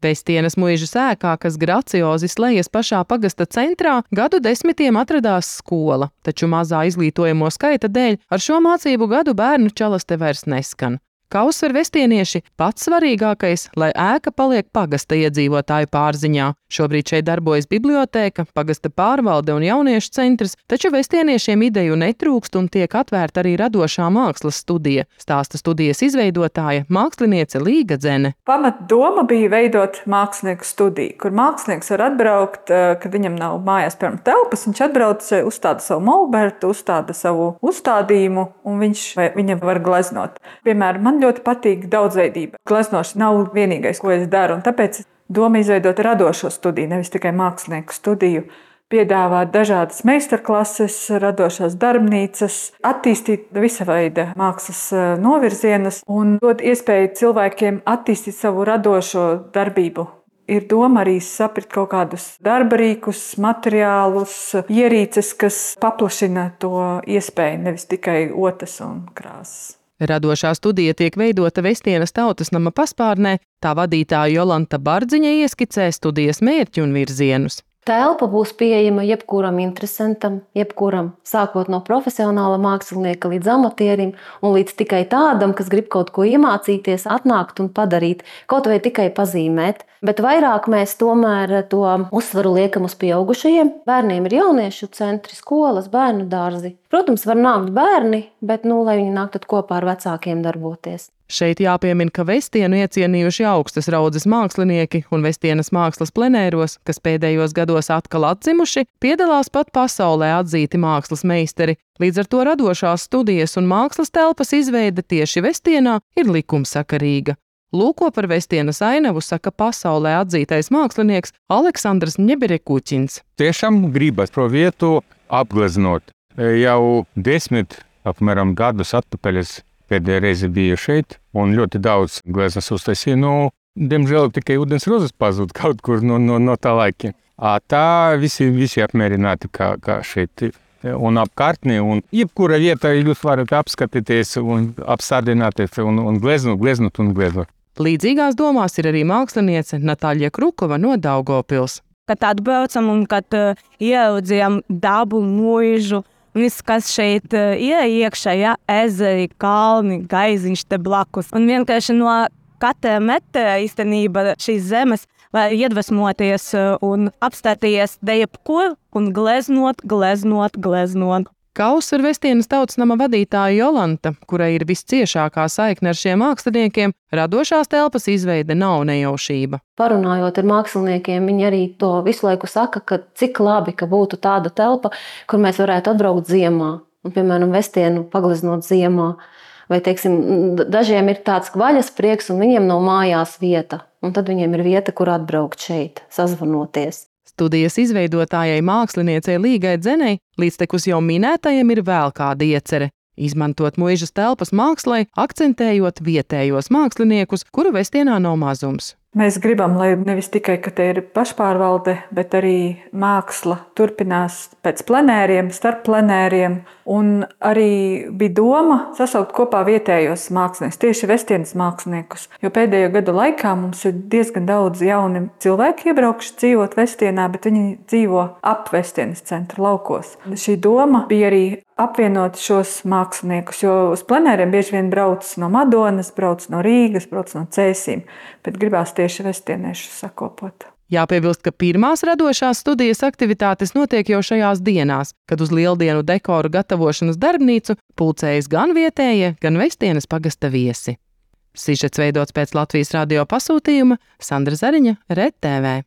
Vestienas muižas ēkā, kas graciozi slējas pašā pagasta centrā, gadu desmitiem atradās skola, taču mazā izglītojamo skaita dēļ ar šo mācību gadu bērnu čalaste vairs neskan. Kā uzsver vestienieši, pats svarīgākais, lai ēka paliek pagasta iedzīvotāju pārziņā. Šobrīd šeit darbojas bibliotēka, pagasta pārvalde un jauniešu centrs, taču vestieniešiem ideju netrūkst un tiek atvērta arī radošā mākslas studija, stāsta studijas izveidotāja, māksliniece Līga Dzene. Pamatdoma bija veidot mākslinieku studiju, kur mākslinieks var atbraukt, kad viņam nav mājās piemēram telpas, viņš atbrauc, uzstāda savu molbertu, uzstāda savu uzstādījumu un viņam var gleznot. Piemēram, man ļoti patīk daudzveidība. Gleznošana nav vienīgais, ko es daru, un tāpēc doma izveidot radošo studiju, nevis tikai mākslinieku studiju, piedāvāt dažādas meistarklases, radošās darbnīcas, attīstīt visa veida mākslas novirzienus un dot iespēju cilvēkiem attīstīt savu radošo darbību. Ir doma arī saprast kaut kādus darba rīkus, materiālus, ierīces, kas paplašina to iespēju, nevis tikai otas un krāsas. Radošā studija tiek veidota Vestienas tautas nama paspārnē, tā vadītāja Jolanta Bardziņa ieskicē studijas mērķi un virzienus. Telpa būs pieejama jebkuram interesantam, jebkuram, sākot no profesionāla mākslinieka līdz amatierim un līdz tikai tādam, kas grib kaut ko iemācīties, atnākt un padarīt, kaut vai tikai pazīmēt. Bet vairāk mēs tomēr to uzsvaru liekam uz pieaugušajiem. Bērniem ir jauniešu centri, skolas, bērnu dārzi. Protams, var nākt bērni, bet lai viņi nāk tad kopā ar vecākiem darboties. Šeit jāpiemina, ka Vestienu iecienījuši augstas raudzes mākslinieki un Vestienas mākslas plenēros, kas pēdējos gados atkal atzimuši, piedalās pat pasaulē atzīti mākslas meistari. Līdz ar to radošās studijas un mākslas telpas izveide tieši Vestienā ir likumsakarīga. Lūko par Vestienas ainavu saka pasaulē atzītais mākslinieks Aleksandrs Ņeberekuķins. Tiešām gribas pro vietu apgleznot. Jau 10 apmēram gadus atpakaļ es pēdējā reize biju šeit un ļoti daudz gleznas uztaisīju. Diemžēl tikai ūdens rozes pazūd kaut kur no tā laika. Tā visi apmierināti kā šeit un apkārtnī. Un jebkura vieta jūs varat apskatīties un apsādināties un gleznot. Līdzīgās domās ir arī māksliniece Natāļa Krukova no Daugavpils. Kad atbraucam un kad ieraudzījām dabu, mūžu, viss, kas šeit iekšā, ezeri, kalni, gaiziņš te blakus. Un vienkārši no katra metra īstenībā šīs zemes var iedvesmoties un apstāties jebkur un gleznot. Kā uzsver Vestienas tautas nama vadītāja Jolanta, kurai ir visciešākā saikne ar šiem māksliniekiem, radošās telpas izveide nav nejaušība. Parunājot ar māksliniekiem, viņi arī to visu laiku saka, ka cik labi, ka būtu tāda telpa, kur mēs varētu atbraukt ziemā. Un, piemēram, Vestienu pagleznot ziemā. Vai, dažiem ir tāds vaļas prieks un viņiem nav mājās vieta. Un tad viņiem ir vieta, kur atbraukt šeit, sazvanoties. Studijas izveidotājai māksliniecei Līgai Dzenei līdztekus jau minētajiem ir vēl kāda iecere – izmantot muižas telpas mākslai, akcentējot vietējos māksliniekus, kuru Vestienā nav mazums. Mēs gribam, lai nevis tikai, ka te ir pašpārvalde, bet arī māksla turpinās pēc plenēriem, starp plenēriem. Un arī bija doma sasaukt kopā vietējos māksliniekus, tieši Vestienas māksliniekus. Jo pēdējo gadu laikā mums ir diezgan daudz jauni cilvēki iebraukuši dzīvot Vestienā, bet viņi dzīvo ap Vestienas centra laukos. Šī doma bija arī apvienot šos māksliniekus, jo uz plenēriem bieži vien brauc no Madonas, brauc no Rīgas, brauc no Cēsīm, bet gribās tieši vestieniešus sakopot. Jāpiebilst, ka pirmās radošās studijas aktivitātes notiek jau šajās dienās, kad uz lieldienu dekoru gatavošanas darbnīcu pulcējas gan vietējie, gan Vestienas pagasta viesi. Sižets veidots pēc Latvijas radio pasūtījuma, Sandra Zariņa, RTV.